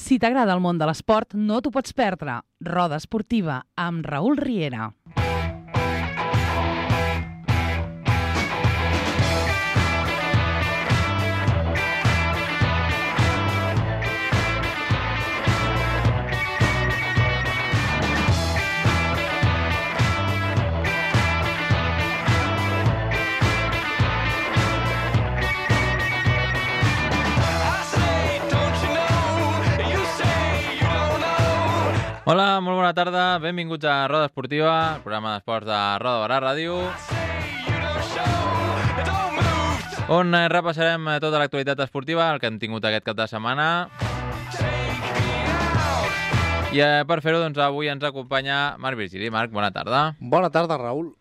Si t'agrada el món de l'esport, no t'ho pots perdre. Roda Esportiva, amb Raül Riera. Hola, molt bona tarda, benvinguts a Roda Esportiva, el programa d'esports de Roda Barà Ràdio, on repassarem tota l'actualitat esportiva, el que hem tingut aquest cap de setmana. I per fer-ho, doncs, avui ens acompanya Marc Virgili. Marc, bona tarda. Bona tarda, Raül.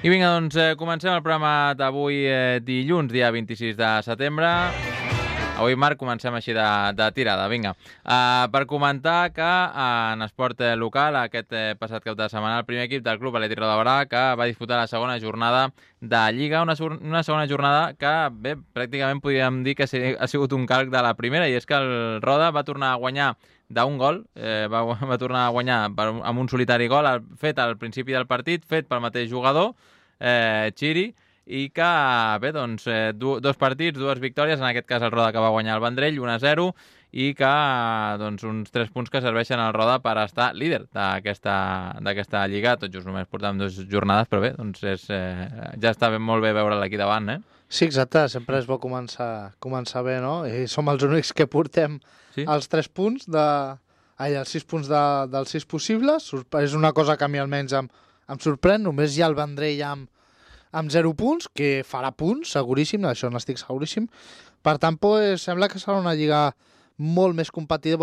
I vinga, doncs, comencem el programa d'avui dilluns, dia 26 de setembre. Avui, Marc, comencem així de tirada. Vinga, per comentar que en esport local, aquest passat cap de setmana, el primer equip del Club Atlètic Roda Barà, que va disputar la segona jornada de Lliga, una segona jornada que, bé, pràcticament podríem dir que ha sigut un calc de la primera, i és que el Roda va tornar a guanyar d'un gol, va tornar a guanyar amb un solitari gol fet al principi del partit, fet pel mateix jugador, Chiri, i que, bé, doncs, dos partits, dues victòries, en aquest cas el Roda que va guanyar el Vendrell, 1-0, i que, doncs, uns 3 punts que serveixen al Roda per estar líder d'aquesta Lliga. Tot just només portem 2 jornades, però bé, doncs ja està molt bé veure'l aquí davant, eh? Sí, exacte, sempre és bo començar bé, no? I som els únics que portem els 3 punts els 6 punts dels 6 possibles. És una cosa que a mi almenys em sorprèn. Només hi ha el Vendrell amb 0 punts, que farà punts, seguríssim, d'això n'estic seguríssim. Per tant, sembla que serà una lliga molt més competida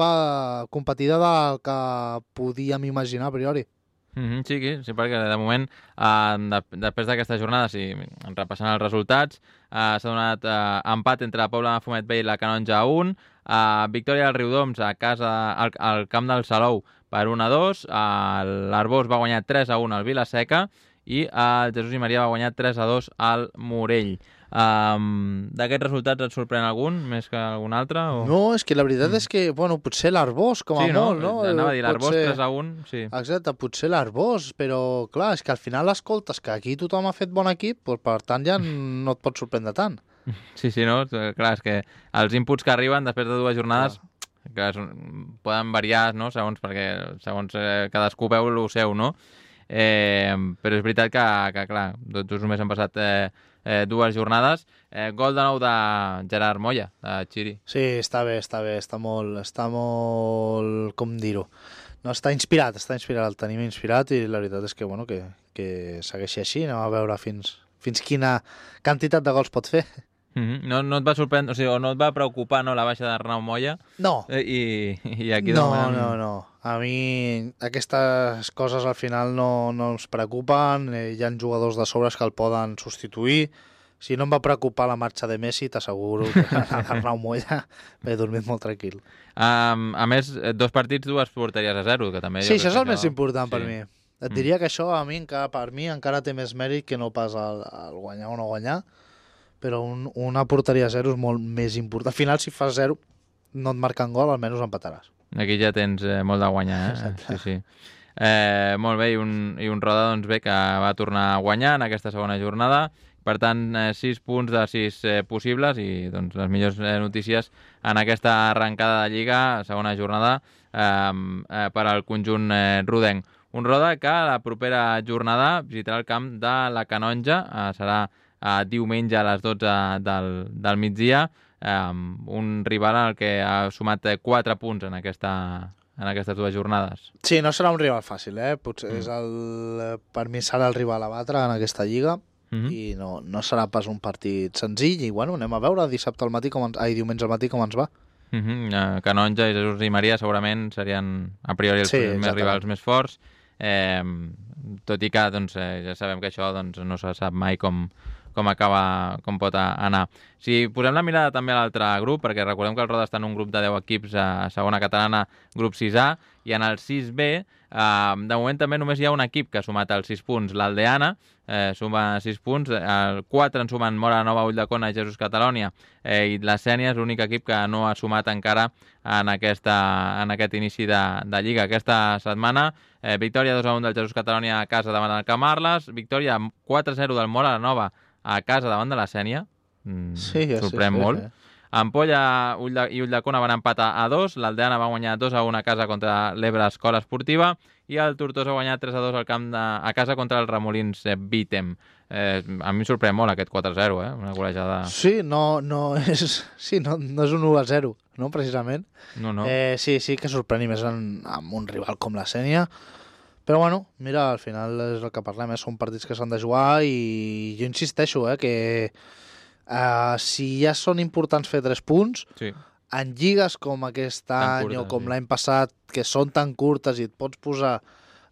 del que podíem imaginar a priori. Sí, perquè de moment, després d'aquesta jornada, repassant els resultats, s'ha donat empat entre la Pobla de Fumet Vell i la Canonja a 1, victòria del Riudoms a casa al camp del Salou per 1-2, l'Arbós va guanyar 3-1 al Vila-seca i el Jesús i Maria va guanyar 3-2 al Morell. D'aquests resultats et sorprèn algun més que algun altre? O... No, és que la veritat és que, potser l'Arbós, com a molt, no? Anava a dir l'Arbós 3-1, sí. Exacte, potser l'Arbós, però clar, és que al final escoltes que aquí tothom ha fet bon equip, per tant ja no et pot sorprendre tant. Sí, no? Clar, és que els inputs que arriben després de 2 jornades que poden variar, no? Segons cadascú veu el seu, no? Però és veritat que clar, tots només han passat 2 jornades. Gol de nou de Gerard Moya, de Chiri. Sí, està bé, està molt, com dir-ho, no, està inspirat, el tenim inspirat, i la veritat és que segueixi així, anem a veure fins quina quantitat de gols pot fer. No et va sorprendre, o no et va preocupar, no, la baixa d'Arnau Moya? No. I aquí no. A mi aquestes coses al final no ens preocupen, hi ha jugadors de sobres que el poden substituir. Si no em va preocupar la marxa de Messi, t'asseguro que Arnau Moya m'he dormit molt tranquil. A més, 2 partits, 2 porteries a 0, que també... Sí, això és el més important per mi. Et diria que això per mi encara té més mèrit que no pas el guanyar o no guanyar, però una porteria a 0 és molt més important. Al final, si fas 0, no et marquen gol, almenys empataràs. Aquí ja tens molt de guanyar, eh? Sí. Molt bé, i un Roda, doncs bé, que va tornar a guanyar en aquesta segona jornada. Per tant, 6 punts de 6 possibles, i doncs les millors notícies en aquesta arrencada de Lliga, segona jornada, per al conjunt rodenc. Un Roda que la propera jornada visitarà el camp de la Canonja, serà diumenge a les 12 del migdia, un rival al que ha sumat 4 punts en aquestes 2 jornades. Sí, no serà un rival fàcil, potser per mi serà el rival a batre en aquesta lliga, i no serà pas un partit senzill, i anem a veure diumenge al matí com ens va. Canonja i Jesús i Maria segurament serien a priori els rivals més forts, tot i que ja sabem que això no se sap mai com com pot anar. Si posem la mirada també a l'altre grup, perquè recordem que el Roda està en un grup de 10 equips a segona catalana, grup 6A, i en el 6B, de moment també només hi ha un equip que ha sumat els 6 punts, l'Aldeana, suma 6 punts, 4 en sumen Móra Nova, Ulldecona i Jesús Catalònia, i la Sénia és l'únic equip que no ha sumat encara en aquest inici de Lliga. Aquesta setmana, victòria 2-1 del Jesús Catalònia a casa davant del Camarles, victòria 4-0 del Móra Nova a casa davant de la Sénia, sorprèn molt. Ampolla i Ulldecona van empatar a 2, l'Aldeana va guanyar 2-1 a casa contra l'Ebre Escola Esportiva i el Tortosa va guanyar 3-2 a casa contra el Remolins Bítem. A mi em sorprèn molt aquest 4-0, una golejada... Sí, no és un 1-0, no, precisament. No. Sí que sorprèn, més amb un rival com la Sénia. Però bueno, mira, al final és el que parlem, són partits que s'han de jugar i jo insisteixo, que si ja són importants fer 3 punts, en lligues com aquest any o com l'any passat, que són tan curtes i et pots posar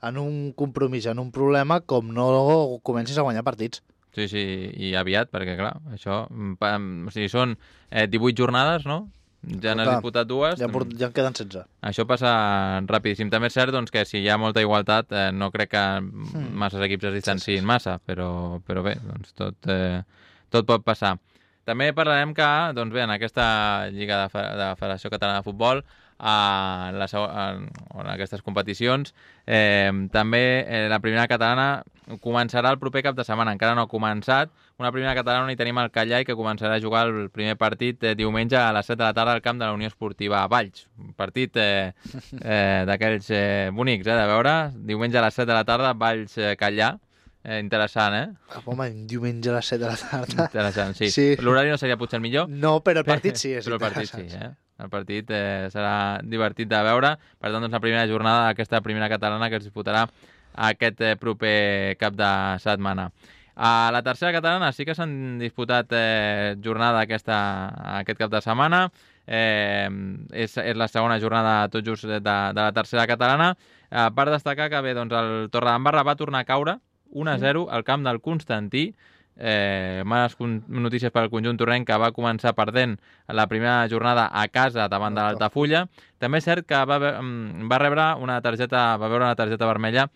en un compromís, en un problema, com no comencis a guanyar partits. Sí, i aviat, perquè clar, això... O sigui, són 18 jornades, no? Ja n'has disputat 2. Ja en queden 16. Això passa rapidíssim. També és cert que si hi ha molta igualtat, no crec que masses equips es distanciïn massa, però bé, doncs tot pot passar. També parlarem que, en aquesta Lliga de Federació Catalana de Futbol, en aquestes competicions, també la primera catalana començarà el proper cap de setmana, encara no ha començat. Una primera catalana on hi tenim el Callai, que començarà a jugar el primer partit diumenge a les 7 de la tarda al camp de la Unió Esportiva Valls. Un partit d'aquells bonics, de veure. Diumenge a les 7 de la tarda, Valls-Callà. Interessant, Home, diumenge a les 7 de la tarda. Interessant, sí. L'horari no seria potser el millor. No, però el partit sí, és però el partit sí, El partit serà divertit de veure. Per tant, la primera jornada d'aquesta primera catalana que es disputarà aquest proper cap de setmana. A la tercera catalana sí que s'han disputat jornada aquest cap de setmana. És la segona jornada tot just de la tercera catalana. Per destacar que bé, el Torredembarra va tornar a caure 1-0 al camp del Constantí. Males notícies per al conjunt torrenc, que va començar perdent la primera jornada a casa davant de l'Altafulla. També és cert que va veure una targeta vermella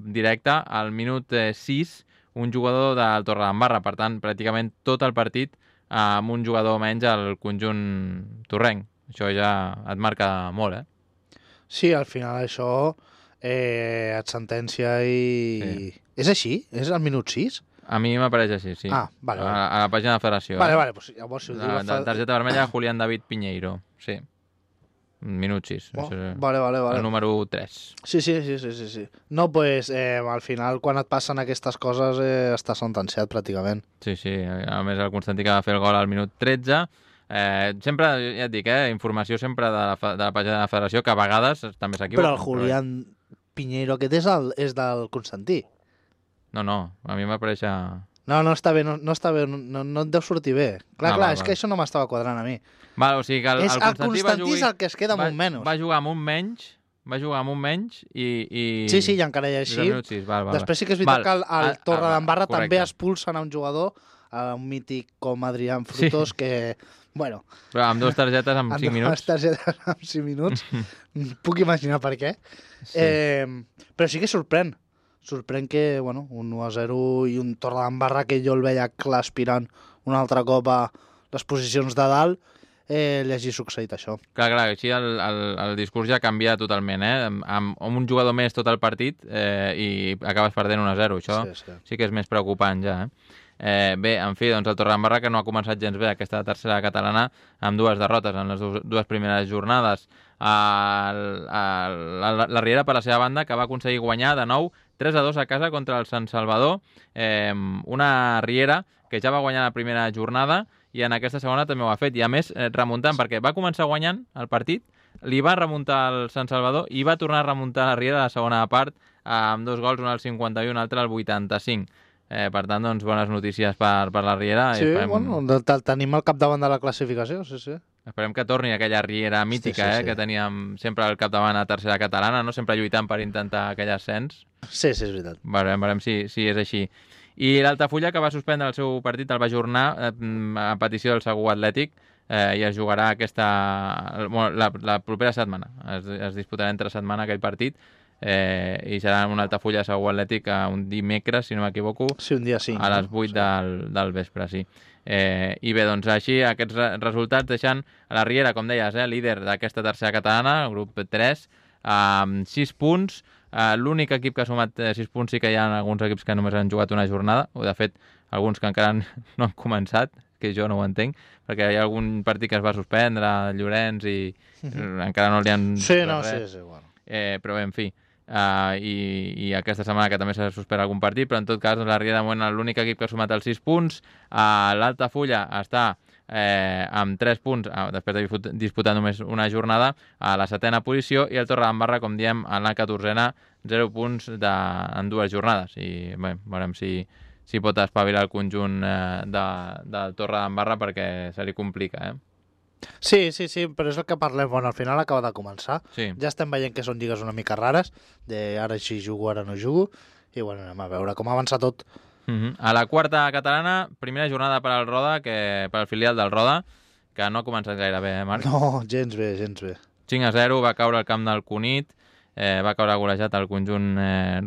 directa al minut 6, un jugador del Torredembarra. Per tant, pràcticament tot el partit amb un jugador menys al conjunt torrenc. Això ja et marca molt, Sí, al final això et sentència i... Sí. És així? És al minut 6? A mi m'apareix així, sí. Vale. A la pàgina de la federació. Vale, pues llavors si ho diu... Targeta vermella, Julián David Piñeiro, sí. Minut 6. Vale. El número 3. Sí. No, pues al final quan et passen aquestes coses està sentenciat pràcticament. Sí. A més el Constantí que va fer el gol al minut 13. Sempre, ja et dic, informació sempre de la pàgina de la federació, que a vegades també s'equivoca. Però el Julián Piñeiro aquest és del Constantí. No, a mi m'apareix... No està bé, no està bé, no et deu sortir bé. Clar, és que això no m'estava quadrant a mi. O sigui que el Constantí és el que es queda amb un menys. Va jugar amb un menys i... Sí, i encara hi ha així. Després sí que és veritat que el Torredembarra també expulsen a un jugador, a un mític com Adrián Frutos, que... Bueno, però amb 2 targetes en 5 minuts. Amb 2 targetes en 5 minuts. Puc imaginar per què. Sí. Però sí que sorprèn. Sorprèn que, un 1-0 i un Torredembarra que jo el veia clar aspirant un altre cop a les posicions de dalt, li hagi succeït això. Clar, així el discurs ja canvia totalment, amb un jugador més tot el partit i acabes perdent 1-0. Això sí que és més preocupant ja, Bé, en fi, el Torredembarra, que no ha començat gens bé aquesta tercera catalana, amb 2 derrotes en les 2 primeres jornades. La Riera, per la seva banda, que va aconseguir guanyar de nou 3-2 a casa contra el Sant Salvador. Una Riera que ja va guanyar la primera jornada i en aquesta segona també ho ha fet. I a més, remuntant, perquè va començar guanyant el partit, li va remuntar el Sant Salvador i va tornar a remuntar la Riera a la segona part amb 2 gols, un al 51 i un altre al 85. Per tant, bones notícies per la Riera. Sí, tenim al capdavant de la classificació, sí. Esperem que torni aquella Riera mítica, que teníem sempre al capdavant a tercera catalana, no? Sempre lluitant per intentar aquell ascens. Sí, és veritat. Veurem si és així. I l'Altafulla, que va suspendre el seu partit, el va ajornar a petició del Segur Atlètic, i es jugarà la propera setmana. Es disputarà entre setmana aquell partit, i serà una Altafulla Segur Atlètic un dimecres, si no m'equivoco, sí, un dia 5, a les 8 del vespre, sí. I bé, doncs així aquests resultats deixant a la Riera, com deies, líder d'aquesta tercera catalana, el grup 3, amb 6 punts. L'únic equip que ha sumat 6 punts, sí que hi ha alguns equips que només han jugat una jornada, o de fet alguns que encara no han començat, que jo no ho entenc, perquè hi ha algun partit que es va suspendre, Llorenç, i encara no li han... Sí, no, res. Sí, bueno. Però bé, en fi, i aquesta setmana que també s'ha suspès algun partit, però en tot cas la Riera de moment l'únic equip que ha sumat els 6 punts. L'Altafulla està amb 3 punts, després de disputar només una jornada, a la 7a posició, i el Torredembarra, com diem, a la 14a, 0 punts en 2 jornades. I bé, veurem si pot espavilar el conjunt del Torredembarra, perquè se li complica, Sí, però és el que parlem. Bueno, al final acaba de començar. Sí. Ja estem veient que són lligues una mica rares, de ara sí jugo, ara no jugo, i bueno, anem a veure com avança tot. A la quarta catalana, primera jornada per al Roda, per al filial del Roda, que no ha començat gaire bé, Marc? No, gens bé, gens bé. 5-0, va caure al camp del Cunit, va caure golejat al conjunt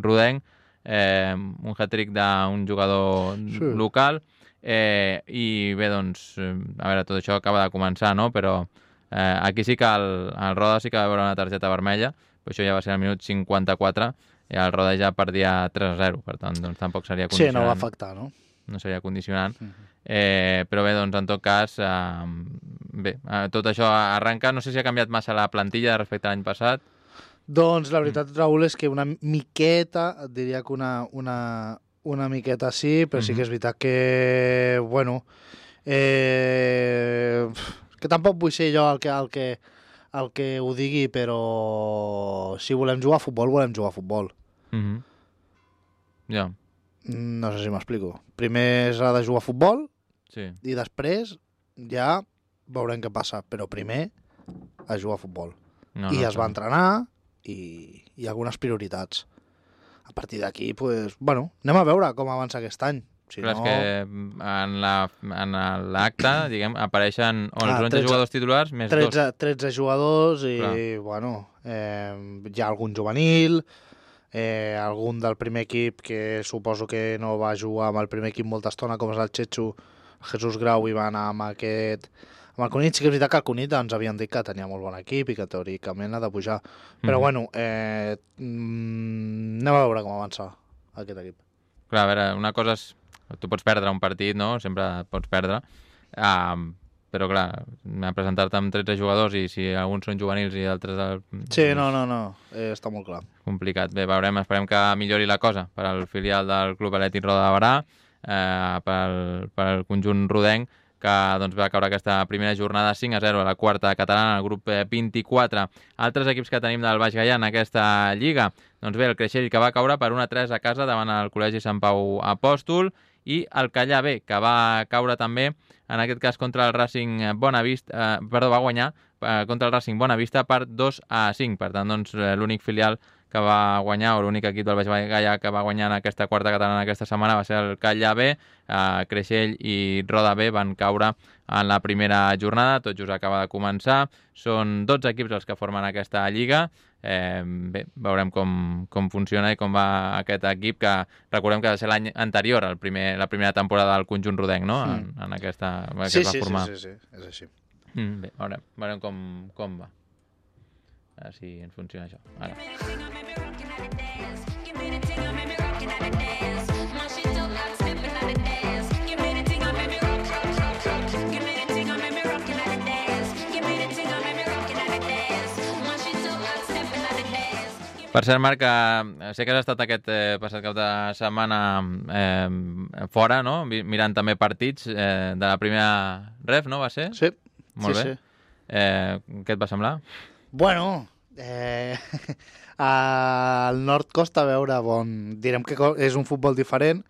rodenc, un hat-trick d'un jugador local, i bé, doncs, a veure, tot això acaba de començar, no? Però aquí sí que el Roda sí que va veure una targeta vermella, però això ja va ser al minut 54, i el Roda ja perdia 3-0, per tant, doncs tampoc seria condicionant. Sí, no va afectar, no? No seria condicionant. Però bé, doncs, en tot cas, bé, tot això arrenca. No sé si ha canviat massa la plantilla respecte a l'any passat. Doncs la veritat, Raül, és que una miqueta, et diria que una miqueta sí, però sí que és veritat que, bueno, que tampoc vull ser jo el que ho digui, però si volem jugar a futbol, volem jugar a futbol. Ja. No sé si m'explico. Primer s'ha de jugar a futbol, sí, i després ja veurem què passa, però primer a jugar a futbol. I es va entrenar i algunes prioritats. A partir d'aquí, pues, bueno, anem a veure com avança aquest any. Si però no... és que en l'acte, diguem, apareixen 11 jugadors titulars més 13 jugadors i, bueno, hi ha algun juvenil, algun del primer equip que suposo que no va jugar amb el primer equip molta estona, com és el Chechu, Jesús Grau, i va anar amb el Cunit. Sí que és veritat que el Cunit ens havien dit que tenia molt bon equip i que teòricament ha de pujar. Però bueno, anem a veure com avança aquest equip. Clar, a veure, una cosa és... Tu pots perdre un partit, no? Sempre pots perdre. Però clar, presentar-te amb 13 jugadors i si alguns són juvenils i altres... Sí, no, està molt clar. Complicat. Bé, veurem, esperem que millori la cosa per al filial del Club Atlètic Roda de Barà, per al conjunt rodenc, que doncs, va caure aquesta primera jornada 5-0 a la quarta catalana, al grup 24. Altres equips que tenim del Baix Gaià en aquesta lliga, doncs bé, el Creixell, que va caure per 1-3 a casa davant el Col·legi Sant Pau Apòstol, i el Callà B, que va caure també, en aquest cas contra el Racing Bonavista, va guanyar contra el Racing Bonavista per 2-5. Per tant, doncs, l'únic filial que va guanyar, o l'únic equip del Baix Gaià que va guanyar en aquesta quarta catalana aquesta setmana va ser el Callà B. Creixell i Roda B van caure en la primera jornada, tot just acaba de començar. Són 12 equips els que formen aquesta lliga. Bé, veurem com funciona i com va aquest equip, que recordem que va ser l'any anterior, la primera temporada del conjunt rodenc, no? En aquesta que es va formar. Sí, és així. Bé, veurem com va. A veure si ens funciona això. Ara. Per cert, Marc, sé que has estat aquest passat cap de setmana fora, no? Mirant també partits de la primera ref, no va ser? Sí. Molt bé. Què et va semblar? Bueno, al nord costa veure direm que és un futbol diferent,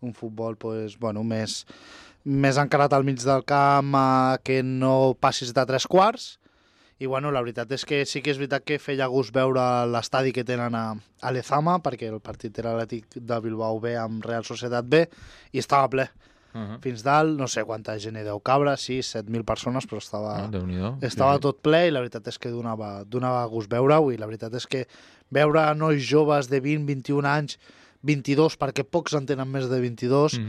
un futbol pues, bueno, més encarat al mig del camp, que no passis de 3 quarts, I bueno, la veritat és que sí que és veritat que feia gust veure l'estadi que tenen a Lezama, perquè el partit era l'Atlètic de Bilbao B amb Real Societat B, i estava ple. Fins dalt, no sé quanta gent hi deu cabre, 6-7.000 persones, però estava tot ple i la veritat és que donava gust veure-ho, i la veritat és que veure nois joves de 20-21 anys, 22, perquè pocs en tenen més de 22,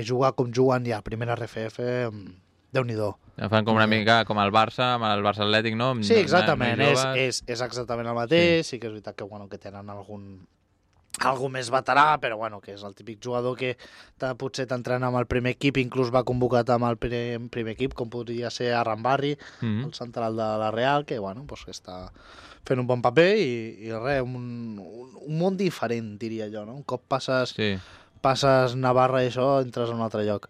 jugar com juguen ja a primera RFF, Déu-n'hi-do. Fan com una mica com el Barça, amb el Barça Atlètic, no? Sí, exactament, és exactament el mateix, sí que és veritat que tenen algú més veterà, però que és el típic jugador que potser t'entrena amb el primer equip, inclús va convocat amb el primer equip, com podria ser Arrambarri, el central de la Real, que que està fent un bon paper i res, un món diferent, diria jo, no? Un cop passes Navarra i això, entres a un altre lloc.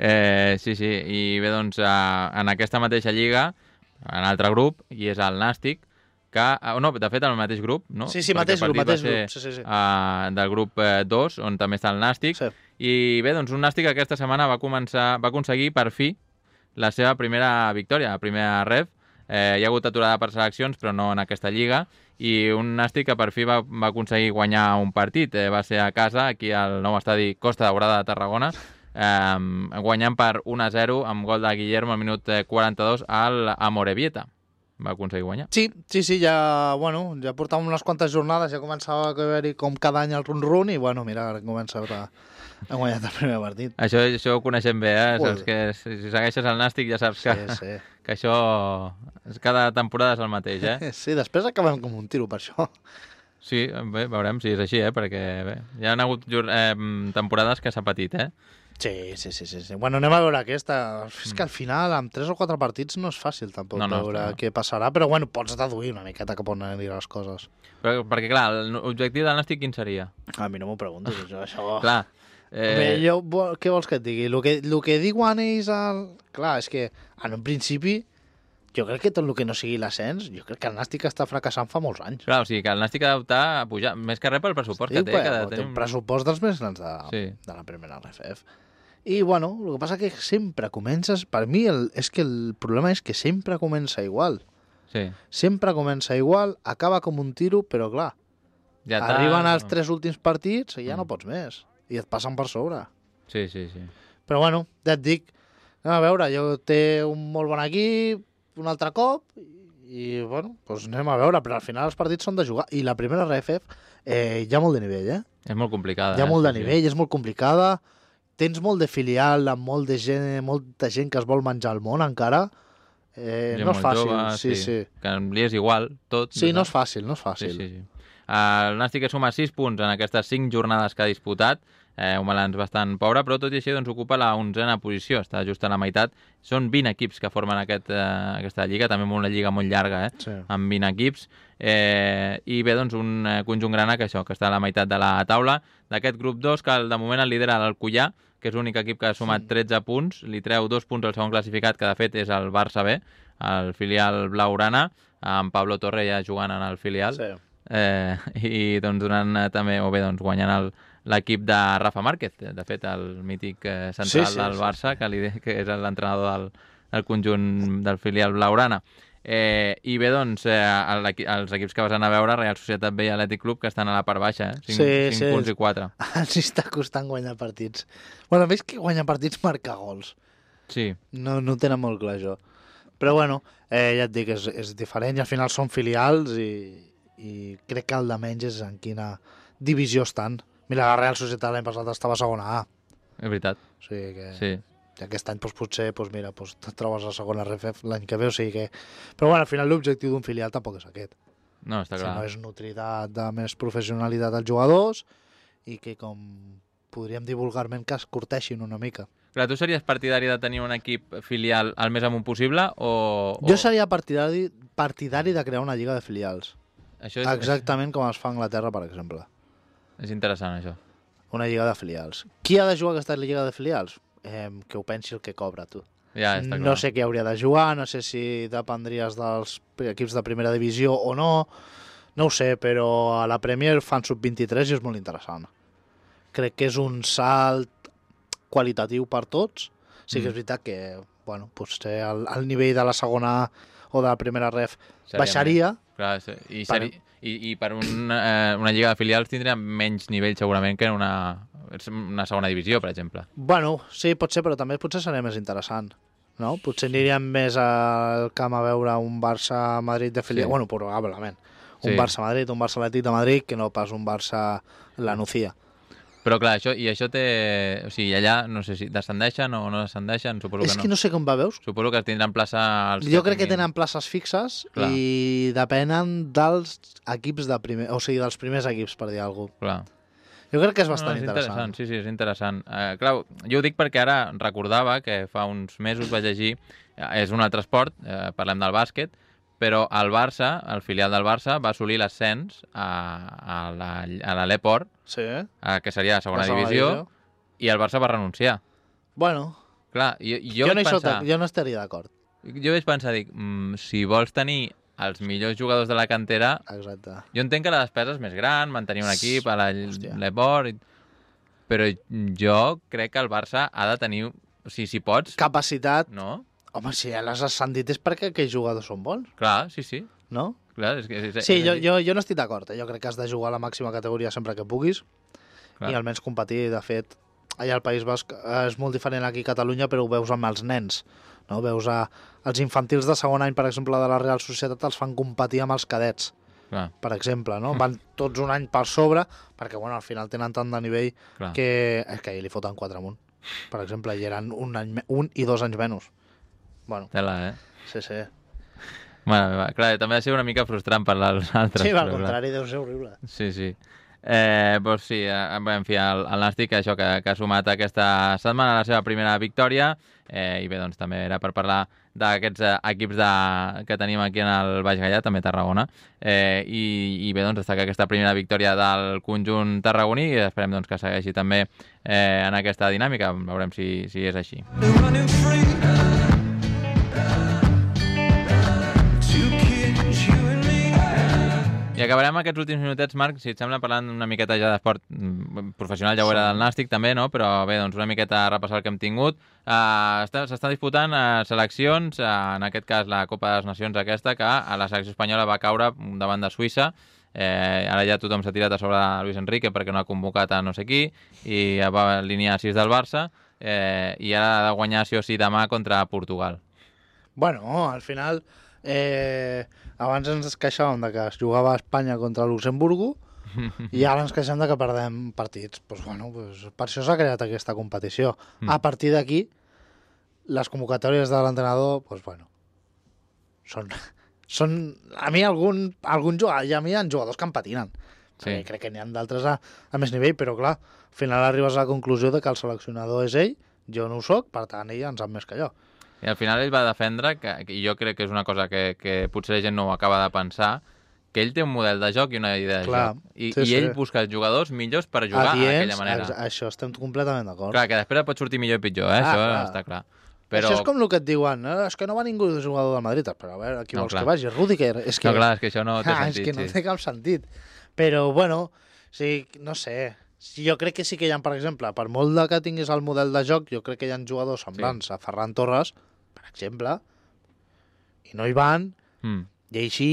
Sí, i bé, doncs, en aquesta mateixa lliga, en altre grup, i és el Nàstic, no, de fet, el mateix grup, no? Sí, mateix grup. Sí. Del grup 2, on també està el Nàstic. Sí. I bé, doncs un Nàstic aquesta setmana va aconseguir per fi la seva primera victòria, la primera ref. Hi ha hagut aturada per seleccions, però no en aquesta lliga. I un Nàstic que per fi va aconseguir guanyar un partit. Va ser a casa, aquí al nou estadi Costa Daurada de Tarragona, guanyant per 1-0 amb gol de Guillermo al minut 42 al Amorebieta. Va aconseguir guanyar. Sí, ja portàvem unes quantes jornades, ja començava a haver-hi com cada any el run-run i mira, ara comença a guanyar el primer partit. Això ho coneixem bé, saps que si segueixes el Nàstic ja saps que això cada temporada és el mateix, Sí, després acabem com un tiro per això. Sí, bé, veurem si és així, perquè bé, hi ha hagut temporades que s'ha patit, Sí. Anem a veure aquesta. És que al final, amb 3 o 4 partits, no és fàcil tampoc veure què passarà, però pots deduir una miqueta cap on aniran les coses. Perquè, clar, l'objectiu del Nàstic quin seria? A mi no m'ho preguntis, això. Clar. Què vols que et digui? El que diuen ells... Clar, és que en un principi, jo crec que tot el que no sigui l'ascens, jo crec que el Nàstic està fracassant fa molts anys. Clar, o sigui que el Nàstic ha d'optar a pujar, més que res pel pressupost que té. Té un pressupost dels més grans de la primera RFF. I, el que passa que sempre comences... Per mi, és que el problema és que sempre comença igual. Sí. Sempre comença igual, acaba com un tiro, però, clar, arriben els 3 últims partits i ja no pots més. I et passen per sobre. Sí. Però, ja et dic, anem a veure, té un molt bon equip, un altre cop, i, anem a veure, però al final els partits són de jugar. I la primera RFF hi ha molt de nivell, És molt complicada. Hi ha molt de nivell, és molt complicada. Tens molt de filial, amb molta gent que es vol menjar el món encara. No és fàcil. Jove, sí. Que li és igual, tot. Sí, no és fàcil. Sí. El Nàstic suma 6 punts en aquestes 5 jornades que ha disputat, un balanç bastant pobre, però tot i així ocupa la 11a posició, està just a la meitat. Són 20 equips que formen aquesta lliga, també una lliga molt llarga, amb 20 equips. I bé, un conjunt grana que està a la meitat de la taula. D'aquest grup 2, que de moment el lidera l'Alcoià, que és l'únic equip que ha sumat 13 punts, li treu 2 punts al segon classificat, que de fet és el Barça B, el filial blaugrana, amb Pablo Torre ja jugant en el filial. Sí. I donant també, guanyant l'equip de Rafa Márquez, de fet el mític central del Barça, que és l'entrenador del conjunt del filial blaugrana. I bé, els equips que vas anar a veure, Real Societat B i Atlètic Club, que estan a la part baixa, 5 punts i 4. Ens està costant guanyar partits. Més que guanyar partits, marcar gols. Sí. No tenen molt clar, això. Però ja et dic, és diferent, i al final són filials, i crec que el de menys és en quina divisió estan. Mira, la Real Societat l'any passat estava a segona A. És veritat. O sigui que... Sí. I aquest any potser et trobes a segona RFF l'any que ve, o sigui que... Però al final l'objectiu d'un filial tampoc és aquest. No, està clar. Sinó és nutrir de més professionalitat als jugadors i que, com podríem dir vulgarment, que es curteixin una mica. Clar, tu series partidari de tenir un equip filial el més amunt possible o... Jo seria partidari de crear una lliga de filials. Exactament com es fa a Anglaterra, per exemple. És interessant, això. Una lliga de filials. Qui ha de jugar aquesta lliga de filials? Que ho pensi el que cobra, tu. Ja, està clar. No sé què hauria de jugar, no sé si dependries dels equips de primera divisió o no ho sé, però a la Premier fan sub-23 i és molt interessant. Crec que és un salt qualitatiu per tots. Sí que és veritat que bueno, potser el nivell de la segona o de la primera ref baixaria. Clar, i per una lliga de filials tindria menys nivell segurament que en una segona divisió, per exemple. Bueno, sí, pot ser, però també potser seria més interessant. No? Potser aniríem més al camp a veure un Barça-Madrid de filial. Sí. Bueno, probablement. Un Barça-Madrid, un Barça-Atlètic de Madrid, que no pas un Barça-La Nucía. Però clar, això té... O sigui, allà no sé si descendeixen o no descendeixen, suposo que no. És que no sé com va, veus? Suposo que tindran plaça... Jo crec que tenen places fixes i depenen dels equips de primer... O sigui, dels primers equips, per dir alguna cosa. Clar. Jo crec que és bastant interessant. Sí, és interessant. Clar, jo ho dic perquè ara recordava que fa uns mesos vaig llegir... És un altre esport, parlem del bàsquet, però el Barça, el filial del Barça, va assolir l'ascens a l'E-Port, que seria la segona divisió, i el Barça va renunciar. Bueno, clar, jo no estaria d'acord. Jo vaig pensar, si vols tenir els millors jugadors de la cantera, exacte. Jo entenc que la despesa és més gran, mantenir un equip a l'E-Port, però jo crec que el Barça ha de tenir, o sigui, si pots... Capacitat. No? Home, si ja les has ascendit és perquè aquells jugadors són bons. Clar, sí. No? Clar, sí, jo no estic d'acord. Jo crec que has de jugar a la màxima categoria sempre que puguis. Clar. I almenys competir. De fet, allà al País Basc és molt diferent aquí a Catalunya, però ho veus amb els nens. No? Veus els infantils de segon any, per exemple, de la Real Societat, els fan competir amb els cadets. Clar. Per exemple, no? Van tots un any per sobre, perquè bueno, al final tenen tant de nivell que ahir li foten 4 amunt. Per exemple, i eren un i 2 anys menys. Bueno, tela, Sí. Bueno, clar, també ha de ser una mica frustrant per als altres. Sí, al contrari, deu ser horrible. Sí. Doncs sí, en fi, el Nàstic, això que ha sumat aquesta setmana la seva primera victòria, i bé, doncs també era per parlar d'aquests equips que tenim aquí en el Baix Gaià, també Tarragona, i bé, doncs destacar aquesta primera victòria del conjunt tarragoní i esperem doncs, que segueixi també en aquesta dinàmica, veurem si és així. I acabarem aquests últims minutets, Marc, si et sembla, parlant una miqueta ja d'esport professional, ja ho era del Nàstic també, no? Però bé, doncs una miqueta a repassar el que hem tingut. S'estan disputant seleccions, en aquest cas la Copa de les Nacions aquesta, que a la selecció espanyola va caure davant de Suïssa. Ara ja tothom s'ha tirat a sobre Luis Enrique perquè no ha convocat a no sé qui, i va alinear 6 del Barça, i ara ha de guanyar sí o sí demà contra Portugal. Bueno, al final... abans ens queixàvem de que es jugava a Espanya contra Luxemburgo i ara ens queixem de que perdem partits. Pues bueno, per això s'ha creat aquesta competició. A partir d'aquí, les convocatòries de l'entrenador, pues bueno, són a mi algun jugador, i a mi hi ha jugadors que em patinen. Sí. Crec que n'hi ha d'altres a més nivell, però clar, al final arribes a la conclusió de que el seleccionador és ell, jo no ho soc, per tant ell en sap més que jo. I al final ell va defendre, i jo crec que és una cosa que potser la gent no ho acaba de pensar, que ell té un model de joc i una idea de joc. I ell busca els jugadors millors per jugar d'aquella manera. Això estem completament d'acord. Clar, que després pot sortir millor i pitjor, això està clar. Però... Això és com el que et diuen, és que no va ningú de jugador del Madrid, però a veure, qui vols que vagi? Rüdiger. No, clar, és que això no té sentit. És que no té cap sentit. Però, bueno, sí, no sé... Jo crec que sí que hi ha, per exemple, per molt que tinguis el model de joc, jo crec que hi ha jugadors semblants a Ferran Torres, per exemple, i no hi van, i així,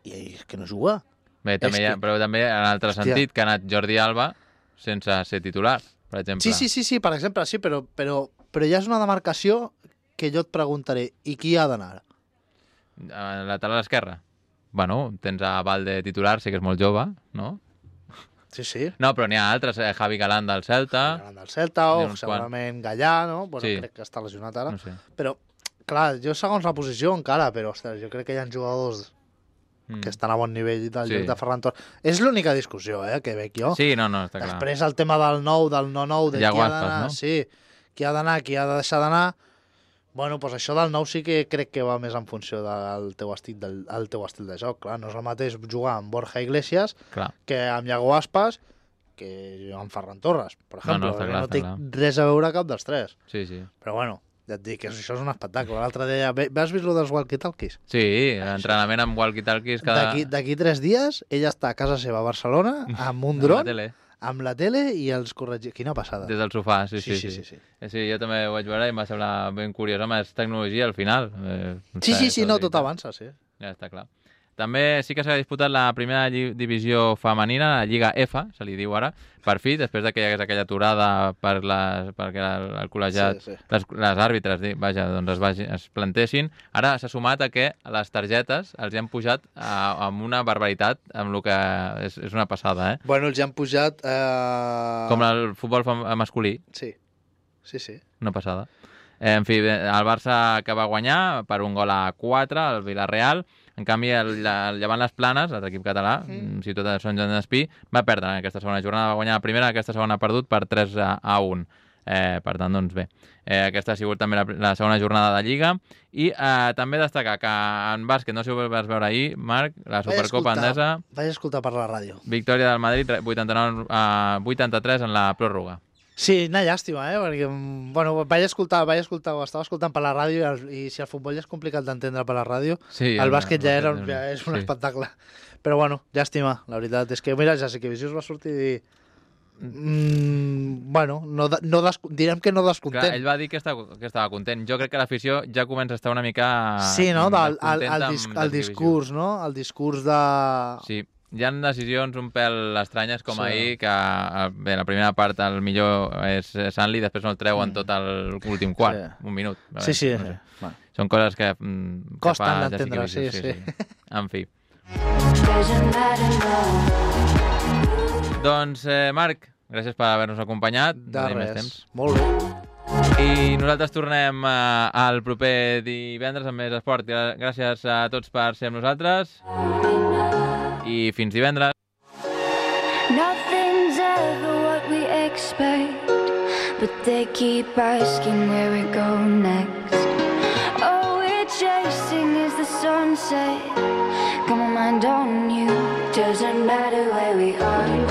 i és que no juga. Bé, però també en altre sentit, que ha anat Jordi Alba sense ser titular, per exemple. Sí, per exemple, sí, però ja és una demarcació que jo et preguntaré, i qui ha d'anar? A lateral esquerra? Bueno, tens a Valde titular, sé que és molt jove, no? Sí. No, però n'hi ha altres, Javi Galán del Celta. Javi Galán del Celta, o segurament Gallà, no? Bueno, crec que està lesionat ara. No sé. Però, clar, jo segons la posició encara, però, ostres, jo crec que hi ha jugadors que estan a bon nivell del joc de Ferran Torres. És l'única discussió, que veig jo. Sí, no, està clar. Després el tema del nou, del no-nou, de qui ha d'anar, no? Sí, qui ha d'anar, qui ha de deixar d'anar. Bueno, doncs això del nou sí que crec que va més en funció del teu estil de joc. Clar, no és el mateix jugar amb Borja Iglesias que amb Iago Aspas que amb Ferran Torres, per exemple. No té res a veure cap dels tres. Sí. Però bueno, ja et dic que això és un espectacle. L'altre dia, has vist lo dels walkie-talkies? Sí, l'entrenament amb walkie-talkies cada... D'aquí 3 dies, ella està a casa seva a Barcelona amb un dron amb la tele i els corregits. Quina passada. Des del sofà, sí. Sí, jo també ho vaig veure i em va semblar ben curiós. Home, és tecnologia al final. Sí, no, tot avança, sí. Ja està clar. També sí que s'ha disputat la primera divisió femenina, la Lliga F, se li diu ara, per fi, després que hi hagués aquella aturada perquè el col·legiat, les àrbitres, vaja, doncs es plantessin. Ara s'ha sumat a que les targetes els hi han pujat amb una barbaritat, amb el que és una passada, eh? Bueno, els hi han pujat... Com el futbol masculí. Sí. Una passada. En fi, el Barça que va guanyar per 1-4 al Villarreal. En canvi, el Llevant Les Planes, l'equip català, Ciutat de Sant Joan d'Espí, va perdre en aquesta segona jornada, va guanyar la primera, aquesta segona ha perdut per 3-1. Per tant, doncs bé, aquesta ha sigut també la segona jornada de Lliga. I també destacar que en bàsquet, no sé si ho vas veure ahir, Marc, la Supercopa Endesa... Vaig escoltar per la ràdio. Victòria del Madrid, 89-83 en la pròrroga. Sí, una llàstima, perquè bueno, vaig escoltar, ho estava escoltant per la ràdio i si el futbol ja és complicat d'entendre per la ràdio, sí, el bàsquet ja és un espectacle. Però bueno, llàstima, la veritat és que, mira, ja sé que Visions va sortir i bueno, direm que no descontent. Clar, ell va dir que estava content. Jo crec que l'afició ja comença a estar una mica... Sí, no? El discurs, no? El discurs de... Sí. Hi ha decisions un pèl estranyes com ahir, que bé, la primera part el millor és Sanli, després no el treuen tot l'últim quart, un minut. Sí. Són coses que... costen d'entendre, sí. En fi. Doncs, Marc, gràcies per haver-nos acompanyat. De res, molt bé. I nosaltres tornem al proper divendres amb més esport. Gràcies a tots per ser amb nosaltres. I fins divendres. Nothing's ever what we expect, but they keep asking where we go next. All we're chasing is the sunset. Got my mind on you. Doesn't matter where we are.